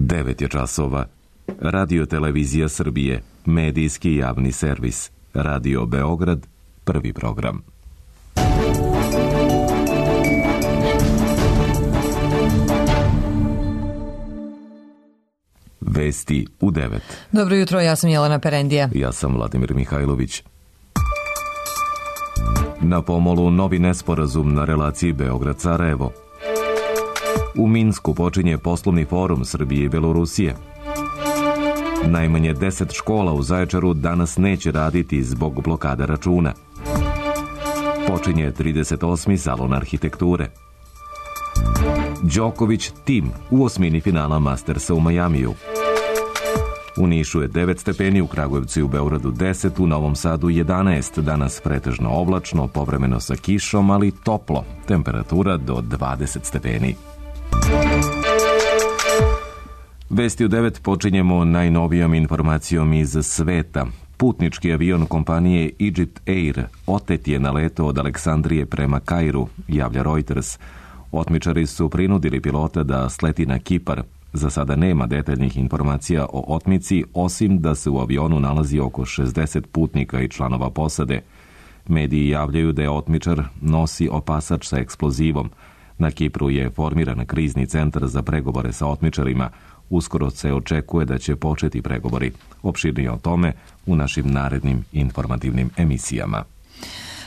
9 je časova. Radio Televizija Srbije, medijski javni servis. Radio Beograd, prvi program. Vesti u 9. Dobro jutro, ja sam Jelena Perendija. Ja sam Vladimir Mihajlović. Na pomolu novi nesporazum na relaciji Beograd-Sarajevo. U Minsku počinje poslovni forum Srbije i Belorusije. Najmanje 10 škola u Zaječaru danas neće raditi zbog blokada računa. Počinje 38. salon arhitekture. Đoković tim u osmini finala Mastersa u Majamiju. U Nišu je 9 stepeni, u Kragujevcu i u Beogradu 10, u Novom Sadu 11, danas pretežno oblačno, povremeno sa kišom, ali toplo, temperatura do 20 stepeni. Vesti u 9 počinjemo najnovijom informacijom iz sveta. Putnički avion kompanije Egypt Air otet je na letu od Aleksandrije prema Kairu, javlja Reuters. Otmičari su prinudili pilota da sleti na Kipar. Za sada nema detaljnih informacija o otmici, osim da se u avionu nalazi oko 60 putnika i članova posade. Mediji javljaju da je otmičar nosi opasač sa eksplozivom. Na Kipru je formiran krizni centar za pregovore sa otmičarima. Uskoro se očekuje da će početi pregovori. Opširnije o tome u našim narednim informativnim emisijama.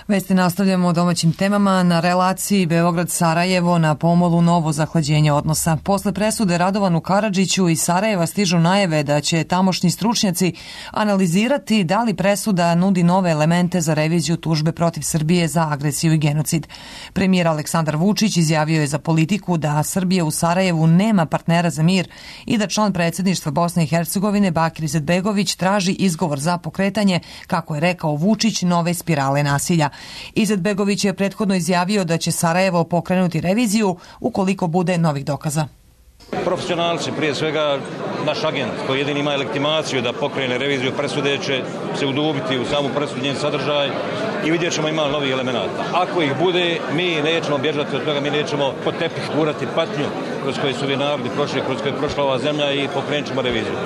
Vesti nastavljamo o domaćim temama. Na relaciji Beograd-Sarajevo na pomolu novo zahlađenje odnosa. Posle presude Radovanu Karadžiću iz Sarajeva stižu najave da će tamošnji stručnjaci analizirati da li presuda nudi nove elemente za reviziju tužbe protiv Srbije za agresiju i genocid. Premijer Aleksandar Vučić izjavio je za Politiku da Srbija u Sarajevu nema partnera za mir i da član predsjedništva Bosne i Hercegovine Bakir Izetbegović traži izgovor za pokretanje, kako je rekao Vučić, nove spirale nasilja. Izetbegović je prethodno izjavio da će Sarajevo pokrenuti reviziju ukoliko bude novih dokaza. Profesionalci, prije svega naš agent koji jedini ima legitimaciju da pokrene reviziju presude će se udubiti u samu presudu, njen sadržaj i vidjet ćemo ima novih elemenata. Ako ih bude, mi nećemo bježati od toga, mi nećemo pod tepih gurati patnju kroz koje su ovi narodi prošli, kroz koje je prošla ova zemlja i pokrenut ćemo reviziju.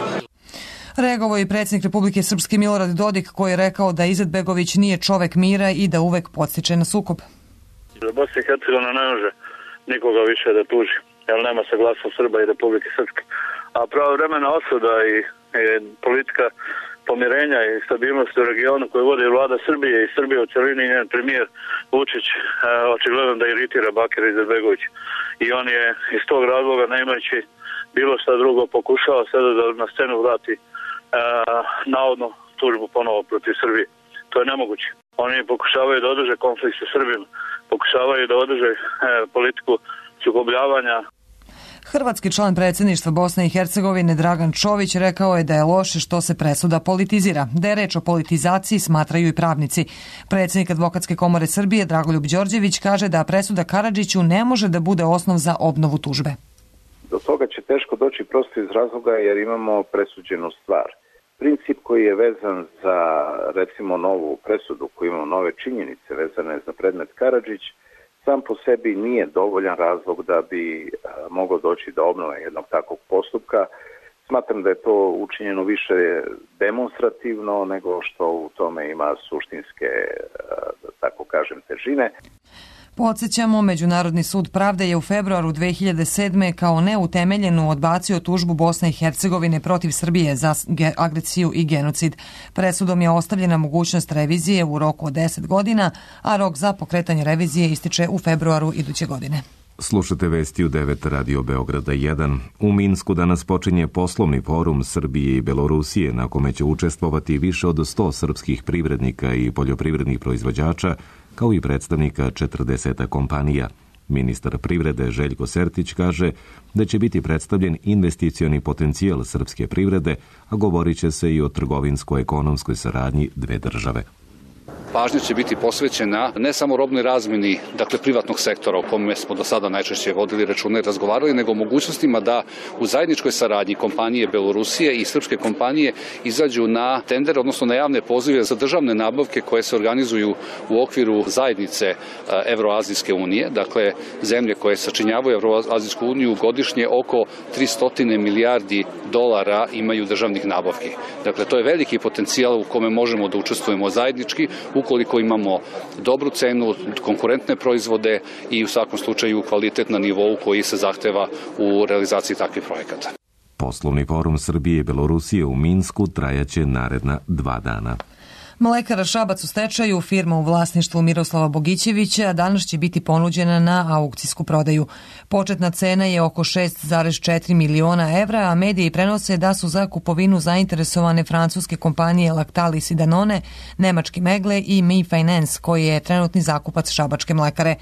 Reagovao je predsjednik Republike Srpske Milorad Dodik, koji je rekao da Izetbegović nije čovek mira i da uvek podstiče na sukob. Bosna i Hercegovina ne može nikoga više da tuži, jer nema saglasnost Srba i Republike Srpske. A pravovremena osuda i politika pomirenja i stabilnosti u regionu koju vodi vlada Srbije i Srbije u celini i njen premijer Vučić očigledno da iritira Bakira Izetbegovića. I on je iz tog razloga, nemajući bilo šta drugo, pokušao sada da na scenu vrati navodno tužbu ponovo protiv Srbije. To je nemoguće. Oni pokušavaju da održe konflikt sa Srbima, pokušavaju da održe politiku sukobljavanja. Hrvatski član predsjedništva Bosne i Hercegovine Dragan Čović rekao je da je loše što se presuda politizira. Da je reč o politizaciji smatraju i pravnici. Predsjednik Advokatske komore Srbije Dragoljub Đorđević kaže da presuda Karadžiću ne može da bude osnov za obnovu tužbe. Do toga će teško doći prosto iz razloga jer imamo presuđenu stvar. Princip koji je vezan za, recimo, novu presudu, koji imamo nove činjenice vezane za predmet Karadžić, sam po sebi nije dovoljan razlog da bi moglo doći do obnove jednog takvog postupka. Smatram da je to učinjeno više demonstrativno nego što u tome ima suštinske, da tako kažem, težine. Podsjećamo, Međunarodni sud pravde je u februaru 2007. kao neutemeljenu odbacio tužbu Bosne i Hercegovine protiv Srbije za agresiju i genocid. Presudom je ostavljena mogućnost revizije u roku od 10 godina, a rok za pokretanje revizije ističe u februaru iduće godine. Slušate vesti u 9 Radio Beograda 1. U Minsku danas počinje poslovni forum Srbije i Belorusije, na kome će učestvovati više od 100 srpskih privrednika i poljoprivrednih proizvođača, kao i predstavnika 40 kompanija. Ministar privrede Željko Sertić kaže da će biti predstavljen investicioni potencijal srpske privrede, a govorit će se i o trgovinsko-ekonomskoj saradnji dve države. pažnja će biti posvećena ne samo robnoj razmeni, dakle privatnog sektora o kome smo do sada najčešće vodili račune i razgovarali, nego mogućnostima da u zajedničkoj saradnji kompanije Belorusije i srpske kompanije izađu na tender, odnosno na javne pozive za državne nabavke koje se organizuju u okviru zajednice Evroazijske unije, dakle zemlje koje sačinjavaju Evroazijsku uniju godišnje oko 300 milijardi dolara imaju državnih nabavki. Dakle, to je veliki potencijal u kome možemo da učestvujemo zajednički ukoliko imamo dobru cenu, konkurentne proizvode i u svakom slučaju kvalitet na nivou koji se zahteva u realizaciji takvih projekata. Poslovni forum Srbije i Belorusije u Minsku trajaće naredna 2 dana. Mlekara Šabac u stečaju, firma u vlasništvu Miroslava Bogićevića, danas će biti ponuđena na aukcijsku prodaju. Početna cena je oko 6,4 miliona evra, a mediji prenose da su za kupovinu zainteresovane francuske kompanije Lactalis i Danone, nemački Megle i Mi Finance, koji je trenutni zakupac šabačke mlekare.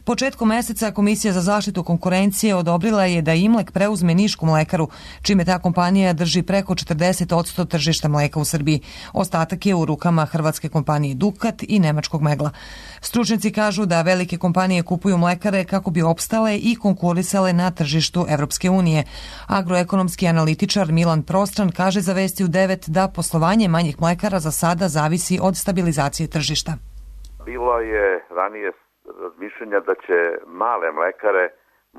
Početkom meseca Komisija za zaštitu konkurencije odobrila je da Imlek preuzme nišku mlekaru, čime ta kompanija drži preko 40% tržišta mleka u Srbiji. Ostatak je u rukama hrvatske kompanije Dukat i nemačkog Megla. Stručnjaci kažu da velike kompanije kupuju mlekare kako bi opstale i konkurisale na tržištu Evropske unije. Agroekonomski analitičar Milan Prostran kaže za Vesti u 9 da poslovanje manjih mlekara za sada zavisi od stabilizacije tržišta. Bilo je ranije razmišljanja da će male mlekare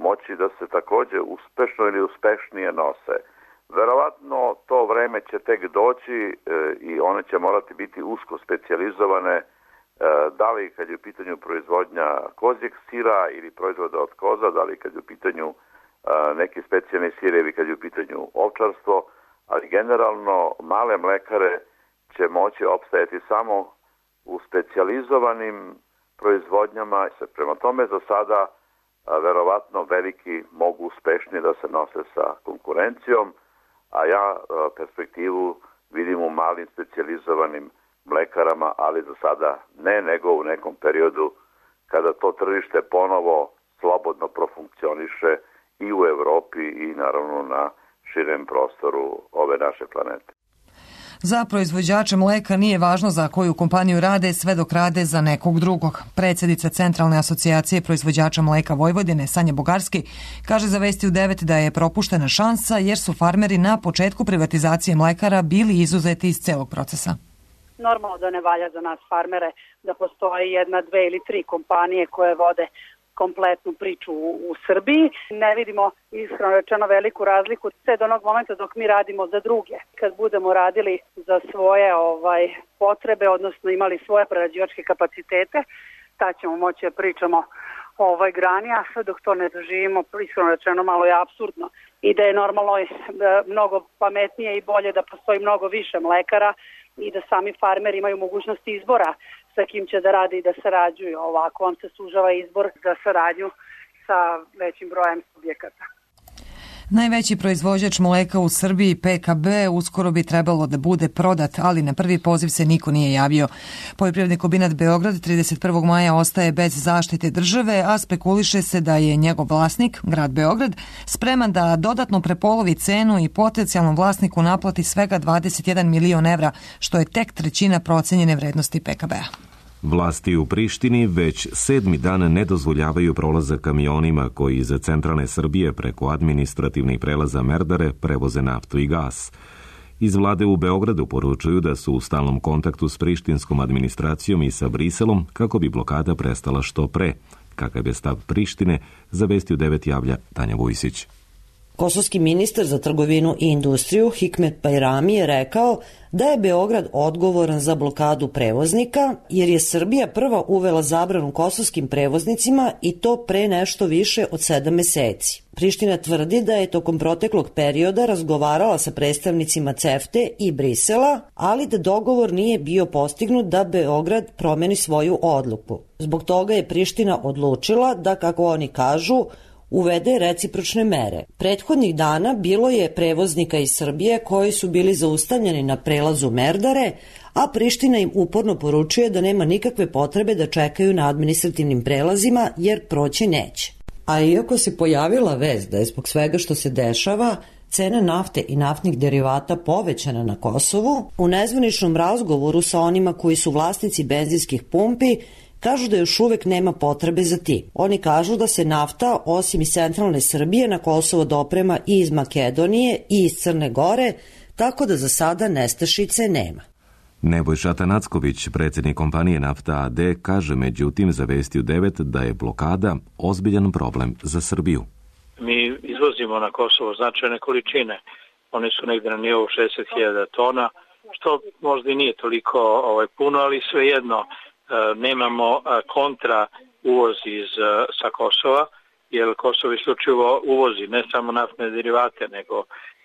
moći da se takođe uspešno ili uspešnije nose. Verovatno to vreme će tek doći i one će morati biti usko specijalizovane, da li kad je u pitanju proizvodnja kozjeg sira ili proizvoda od koza, da li kad je u pitanju neki specijalni sirevi, kad je u pitanju ovčarstvo, ali generalno male mlekare će moći opstajati samo u specijalizovanim proizvodnjama. Prema tome za sada verovatno veliki mogu uspešnije da se nose sa konkurencijom, a ja perspektivu vidim u malim specijalizovanim mlekarama, ali za sada ne, nego u nekom periodu kada to tržište ponovo slobodno profunkcioniše i u Evropi i naravno na širem prostoru ove naše planete. Za proizvođače mleka nije važno za koju kompaniju rade, sve dok rade za nekog drugog. Predsjednica Centralne asocijacije proizvođača mleka Vojvodine, Sanja Bugarski, kaže za Vesti u 9 da je propuštena šansa jer su farmeri na početku privatizacije mlekara bili izuzeti iz celog procesa. Normalno da ne valja za nas farmere da postoji 1, 2 ili 3 kompanije koje vode kompletnu priču u Srbiji. Ne vidimo, iskreno rečeno, veliku razliku sve do onog momenta dok mi radimo za druge. Kad budemo radili za svoje potrebe, odnosno imali svoje prerađivačke kapacitete, tad ćemo moći da pričamo o ovoj grani, a sve dok to ne doživimo, iskreno rečeno, malo je apsurdno. I da je normalno mnogo pametnije i bolje da postoji mnogo više mlekara i da sami farmeri imaju mogućnosti izbora sa kim će da rade i da sarađuju. Ovako vam se sužava izbor za saradnju sa većim brojem subjekata. Najveći proizvođač mleka u Srbiji, PKB, uskoro bi trebalo da bude prodat, ali na prvi poziv se niko nije javio. Poljoprivredni kombinat Beograd 31. maja ostaje bez zaštite države, a spekuliše se da je njegov vlasnik, grad Beograd, spreman da dodatno prepolovi cenu i potencijalnom vlasniku naplati svega 21 milion evra, što je tek trećina procenjene vrednosti PKB-a. Vlasti u Prištini već 7. dan ne dozvoljavaju prolazak kamionima koji iz centralne Srbije preko administrativnih prelaza Merdare prevoze naftu i gas. Iz vlade u Beogradu poručuju da su u stalnom kontaktu s prištinskom administracijom i sa Briselom kako bi blokada prestala što pre. Kakav je stav Prištine, za Vesti u 9 javlja Tanja Vujsić. Kosovski ministar za trgovinu i industriju Hikmet Bajrami je rekao da je Beograd odgovoran za blokadu prevoznika jer je Srbija prva uvela zabranu kosovskim prevoznicima i to pre nešto više od 7 meseci. Priština tvrdi da je tokom proteklog perioda razgovarala sa predstavnicima CEFTE i Brisela, ali da dogovor nije bio postignut da Beograd promeni svoju odluku. Zbog toga je Priština odlučila da, kako oni kažu, uvede recipročne mere. Prethodnih dana bilo je prevoznika iz Srbije koji su bili zaustavljeni na prelazu Merdare, a Priština im uporno poručuje da nema nikakve potrebe da čekaju na administrativnim prelazima jer proći neće. A iako se pojavila vest da je zbog svega što se dešava, cena nafte i naftnih derivata povećana na Kosovu, u nezvaničnom razgovoru sa onima koji su vlasnici benzinskih pumpi kažu da još uvek nema potrebe za tim. Oni kažu da se nafta, osim iz centralne Srbije, na Kosovo doprema i iz Makedonije i iz Crne Gore, tako da za sada nestašice nema. Nebojša Tanacković, predsjednik kompanije Nafta AD, kaže međutim za Vesti u 9 da je blokada ozbiljan problem za Srbiju. Mi izvozimo na Kosovo značajne količine. One su negde na nivou 60.000 tona, što možda i nije toliko puno, ali svejedno nemamo kontra uvoz sa Kosova, jer Kosovo isključivo uvozi ne samo naftne derivate, nego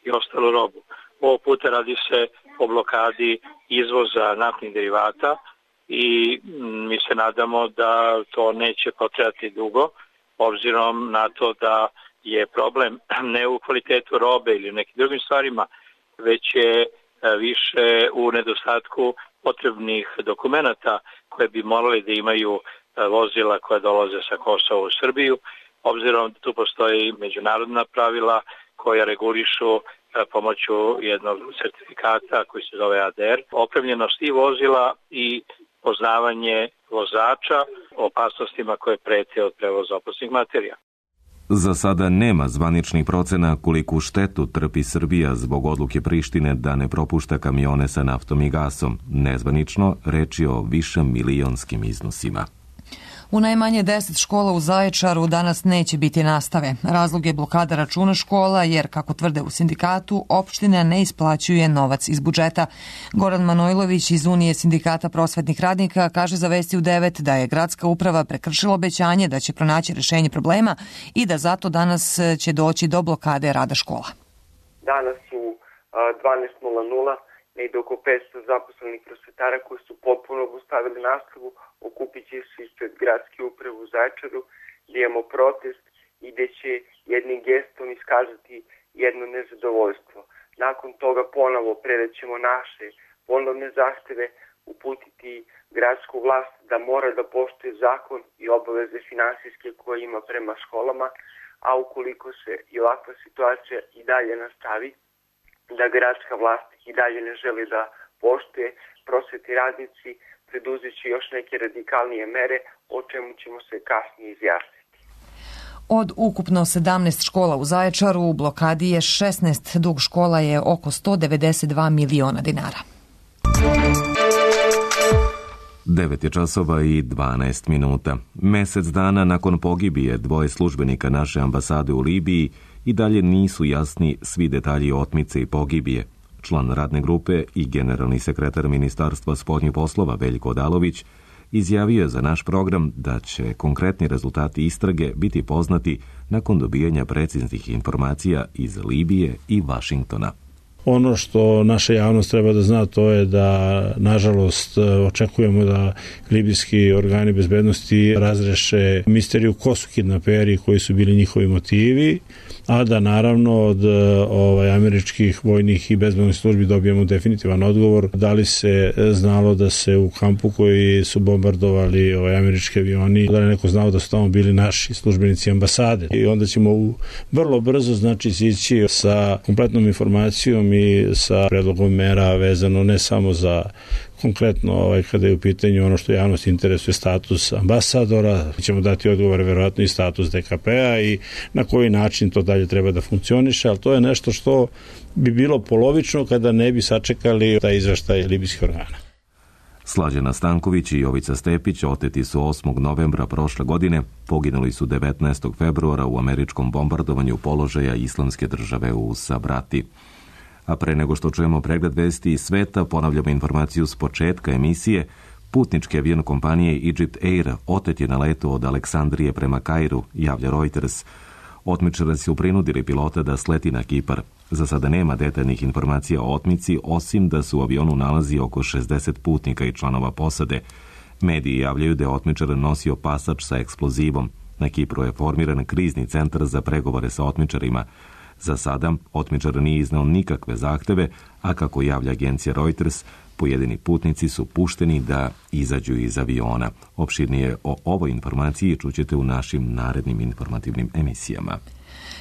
i ostalu robu. Ovog puta radi se o blokadi izvoza naftnih derivata i mi se nadamo da to neće potrajati dugo, obzirom na to da je problem ne u kvalitetu robe ili u nekim drugim stvarima, već je više u nedostatku potrebnih dokumenata koje bi morali da imaju vozila koja dolaze sa Kosova u Srbiju, obzirom da tu postoji međunarodna pravila koja regulišu pomoću jednog sertifikata koji se zove ADR, opremljenost i vozila i poznavanje vozača o opasnostima koje prete od prevoza opasnih materija. Za sada nema zvaničnih procena koliku štetu trpi Srbija zbog odluke Prištine da ne propušta kamione sa naftom i gasom. Nezvanično reč je o višemilionskim iznosima. U najmanje 10 škola u Zaječaru danas neće biti nastave. Razlog je blokada računa škola jer, kako tvrde u sindikatu, opština ne isplaćuje novac iz budžeta. Goran Manojlović iz Unije sindikata prosvetnih radnika kaže za Vesti u 9 da je gradska uprava prekršila obećanje da će pronaći rešenje problema i da zato danas će doći do blokade rada škola. Danas u 12:00 negde oko 500 zaposlenih prosvetara koji su potpuno obustavili nastavu okupit će se ispred gradske uprave u Zaječaru, gdje imamo protest i gdje će jednim gestom iskazati jedno nezadovoljstvo. Nakon toga ponovo predaćemo naše ponovne zahteve, uputiti gradsku vlast da mora da poštuje zakon i obaveze finansijske koje ima prema školama, a ukoliko se i ovakva situacija i dalje nastavi, da gradska vlast i dalje ne želi da poštuje, prosvetni radnici preduzet će još neke radikalnije mere, o čemu ćemo se kasnije izjasniti. Od ukupno 17 škola u Zaječaru u blokadi je 16, dug škola je oko 192 miliona dinara. 9 je časova i 12 minuta. Mesec dana nakon pogibije dvoje službenika naše ambasade u Libiji i dalje nisu jasni svi detalji otmice i pogibije. Član radne grupe i generalni sekretar Ministarstva spoljnih poslova Veljko Odalović izjavio je za naš program da će konkretni rezultati istrage biti poznati nakon dobijanja preciznih informacija iz Libije i Vašingtona. Ono što naša javnost treba da zna, to je da, nažalost, očekujemo da libijski organi bezbednosti razreše misteriju ko su kidnaperi, koji su bili njihovi motivi, a da naravno od američkih vojnih i bezbednosnih službi dobijemo definitivan odgovor da li se znalo da se u kampu koji su bombardovali američki avioni, da li neko znao da su tamo bili naši službenici ambasade. I onda ćemo vrlo brzo ići sa kompletnom informacijom i sa predlogom mera vezano ne samo za konkretno kada je u pitanju ono što javnost interesuje, status ambasadora, ćemo dati odgovore verovatno i status DKP-a i na koji način to dalje treba da funkcioniše, ali to je nešto što bi bilo polovično kada ne bi sačekali taj izveštaj libijskih organa. Slađana Stanković i Jovica Stepić oteti su 8. novembra prošle godine, poginuli su 19. februara u američkom bombardovanju položaja Islamske države u Sabrati. A pre nego što čujemo pregled vesti iz sveta, ponavljamo informaciju s početka emisije. Putnički avion kompanije Egypt Air otet je na letu od Aleksandrije prema Kairu, javlja Reuters. Otmičari su prinudili pilota da sleti na Kipar. Za sada nema detaljnih informacija o otmici, osim da se u avionu nalazi oko 60 putnika i članova posade. Mediji javljaju da je otmičar nosio pasač sa eksplozivom. Na Kipru je formiran krizni centar za pregovore sa otmičarima. Za sada, otmičar nije iznao nikakve zahteve, a kako javlja agencija Reuters, pojedini putnici su pušteni da izađu iz aviona. Opširnije o ovoj informaciji čućete u našim narednim informativnim emisijama.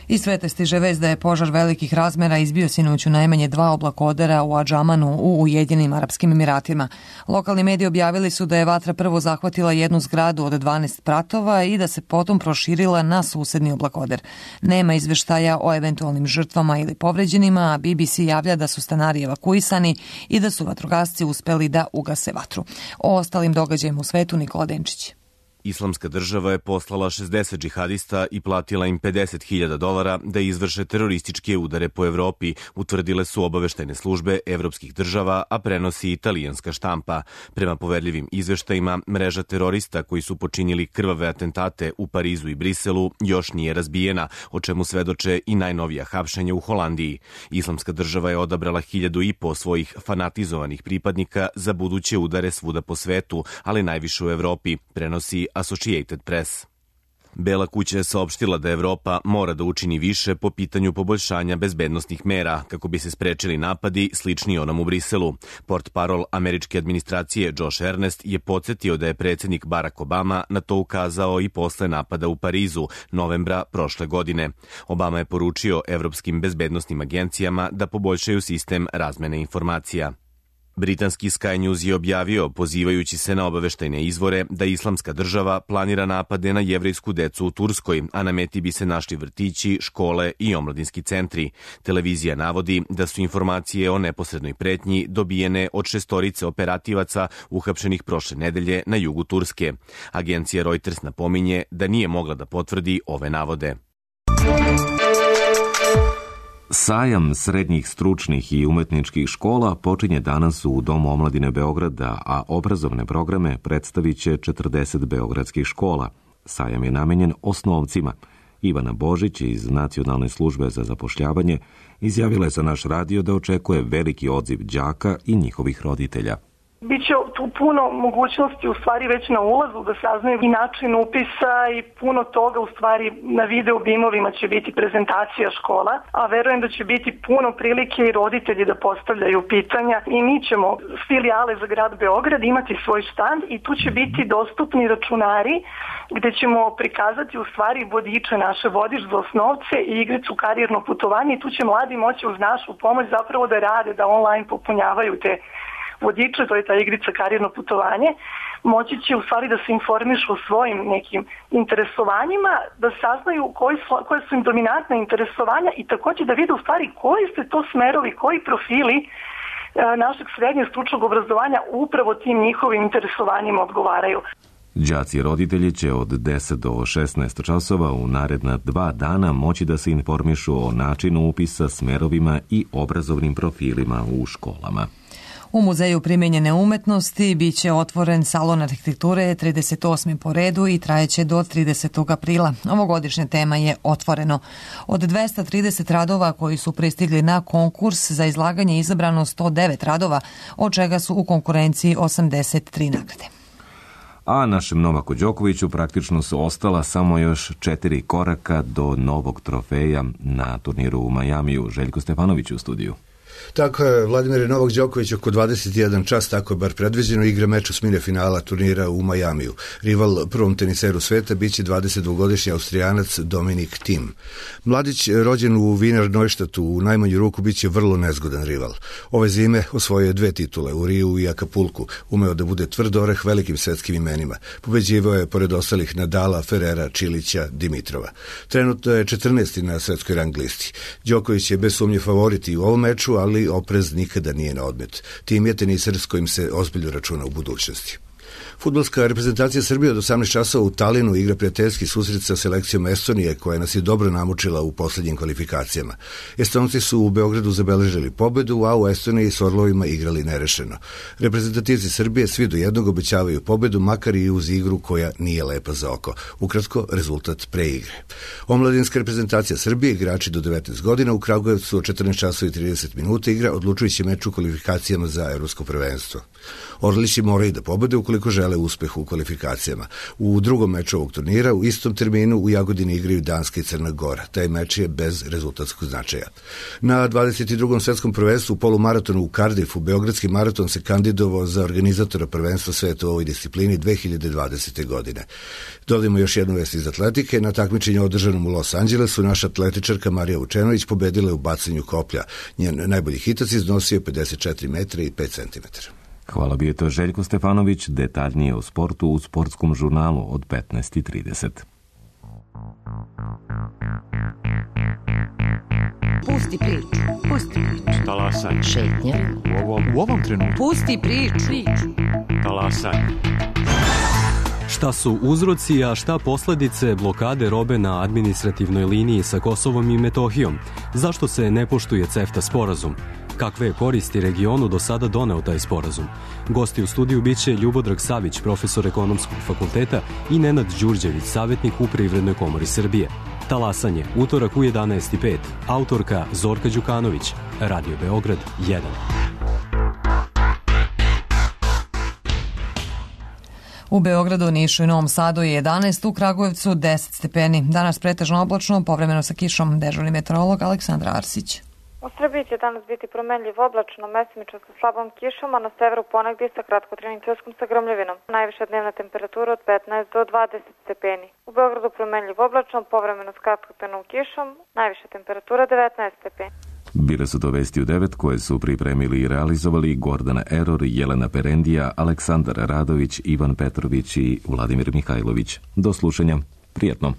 Iz sveta stiže vest da je požar velikih razmera izbio sinoć u najmanje 2 oblakodera u Adžamanu u Ujedinjenim Arapskim Emiratima. Lokalni mediji objavili su da je vatra prvo zahvatila jednu zgradu od 12 spratova i da se potom proširila na susedni oblakoder. Nema izveštaja o eventualnim žrtvama ili povređenima, a BBC javlja da su stanari evakuisani i da su vatrogasci uspeli da ugase vatru. O ostalim događajima u svetu Nikola Denčić. Islamska država je poslala 60 džihadista i platila im $50.000 da izvrše terorističke udare po Evropi, utvrdile su obaveštajne službe evropskih država, a prenosi italijanska štampa. Prema poverljivim izveštajima, mreža terorista koji su počinili krvave atentate u Parizu i Briselu još nije razbijena, o čemu svedoče i najnovija hapšenja u Holandiji. Islamska država je odabrala 1.500 svojih fanatizovanih pripadnika za buduće udare svuda po svetu, ali najviše u Evropi, prenosi Associated Press. Bela kuća je saopštila da Evropa mora da učini više po pitanju poboljšanja bezbednosnih mera kako bi se sprečili napadi slični onom u Briselu. Portparol američke administracije Josh Earnest je podsjetio da je predsjednik Barack Obama na to ukazao i posle napada u Parizu novembra prošle godine. Obama je poručio evropskim bezbednosnim agencijama da poboljšaju sistem razmene informacija. Britanski Sky News je objavio, pozivajući se na obaveštajne izvore, da Islamska država planira napade na jevrejsku decu u Turskoj, a na meti bi se našli vrtići, škole i omladinski centri. Televizija navodi da su informacije o neposrednoj pretnji dobijene od 6 operativaca uhapšenih prošle nedelje na jugu Turske. Agencija Reuters napominje da nije mogla da potvrdi ove navode. Sajam srednjih stručnih i umetničkih škola počinje danas u Domu omladine Beograda, a obrazovne programe predstavit će 40 beogradskih škola. Sajam je namenjen osnovcima. Ivana Božić iz Nacionalne službe za zapošljavanje izjavila je za naš radio da očekuje veliki odziv đaka i njihovih roditelja. Biće tu puno mogućnosti u stvari već na ulazu da saznaju i način upisa i puno toga u stvari na video bimovima će biti prezentacija škola, a verujem da će biti puno prilike i roditelji da postavljaju pitanja i mi ćemo filijale za grad Beograd imati svoj štand i tu će biti dostupni računari gde ćemo prikazati u stvari vodiče naše, vodič za osnovce i igricu karijerno putovanje i tu će mladi moći uz našu pomoć zapravo da rade, da online popunjavaju te vodiče, to je ta igrica karijerno putovanje, moći će u stvari da se informišu o svojim nekim interesovanjima, da saznaju koje su im dominantne interesovanja i također da vide u stvari koji su to smerovi, koji profili našeg srednjeg stručnog obrazovanja upravo tim njihovim interesovanjima odgovaraju. Đaci i roditelji će od 10 do 16 časova u naredna 2 dana moći da se informišu o načinu upisa, smerovima i obrazovnim profilima u školama. U Muzeju primijenjene umetnosti biće otvoren salon arhitekture 38. po redu i trajeće do 30. aprila. Ovogodišnja tema je Otvoreno. Od 230 radova koji su pristigli na konkurs za izlaganje izabrano 109 radova, od čega su u konkurenciji 83 nagrade. A našem Novaku Đokoviću praktično su ostala samo još 4 koraka do novog trofeja na turniru u Majamiju. Željko Stefanović u studiju. Tako je, Vladimir Novak Đoković oko 21 čas, tako je bar predviđeno, igra meč osmine finala turnira u Majamiju. Rival prvom teniseru sveta biće 22-godišnji Austrijanac Dominik Thiem. Mladić, rođen u Wiener Neustadtu, u najmanju ruku biće vrlo nezgodan rival. Ove zime osvojio je 2 titule u Riju i Akapulku, umeo da bude tvrd oreh velikim svetskim imenima. Pobeđivao je pored ostalih Nadala, Ferrera, Čilića, Dimitrova. Trenutno je 14. na svetskoj rang listi. Đoković je bez sumnje favorit i u ovom meču, ali oprez nikada nije na odmet. Tim je teniser s kojim se ozbiljno računa u budućnosti. Fudbalska reprezentacija Srbije od 18 časova u Talinu igra prijateljski susret sa selekcijom Estonije, koja nas je dobro namučila u posljednjim kvalifikacijama. Estonci su u Beogradu zabeležili pobedu, a u Estoniji s Orlovima igrali nerešeno. Reprezentativci Srbije svi do jednog obećavaju pobedu, makar i uz igru koja nije lepa za oko. Ukratko, rezultat preigre. Omladinska reprezentacija Srbije, igrači do 19 godina, u Kragujevcu od 14 časova i 30 minuta igra odlučujući meč u kvalifikacijama za evropsko prvenstvo. Orlići moraju da pobede ukoliko žele žele uspeh u kvalifikacijama. U drugom meču ovog turnira u istom terminu u Jagodini igraju Danska i Crna Gora. Taj meč je bez rezultatskog značaja. Na 22. svetskom prvenstvu u polumaratonu u Cardiffu beogradski maraton se kandidovao za organizatora prvenstva sveta u ovoj disciplini 2020. godine. Dodajmo još jednu vest iz atletike. Na takmičenju održanom u Los Angelesu naša atletičarka Marija Vučenović pobedila je u bacanju koplja. Njen najbolji hitac iznosio 54 metra i 5 centimetara. Hvala, bio je to Željko Stefanović, detaljnije o sportu u sportskom žurnalu od 15:30. Pusti priču. Pusti priču. Talasaj. Šetnja. U ovom trenutku. Pusti priču. Talasaj. Šta su uzroci, a šta posledice blokade robe na administrativnoj liniji sa Kosovom i Metohijom? Zašto se ne poštuje CEFTA sporazum? Kakve je koristi regionu do sada doneo taj sporazum? Gosti u studiju biće Ljubodrag Savić, profesor ekonomskog fakulteta, i Nenad Đurđević, savjetnik u Privrednoj komori Srbije. Talasanje, utorak u 11:05. Autorka Zorka Đukanović. Radio Beograd 1. U Beogradu, Nišu i Novom Sadu je 11, u Kragujevcu 10 stepeni. Danas pretežno oblačno, povremeno sa kišom. Dežurni meteorolog Aleksandra Arsić. U Srbiji će danas biti promenljiv oblačno, mesimično sa slabom kišom, a na severu ponegdje sa kratkotrenim ćoskom sa grmljavinom. Najviša dnevna temperatura od 15 do 20 stepeni. U Beogradu promenljiv oblačno, povremeno s kratkotrenom kišom, najviša temperatura 19 stepeni. Bile su to vesti u 9 koje su pripremili i realizovali Gordana Eror, Jelena Perendija, Aleksandar Radović, Ivan Petrović i Vladimir Mihajlović. Do slušanja. Prijetno.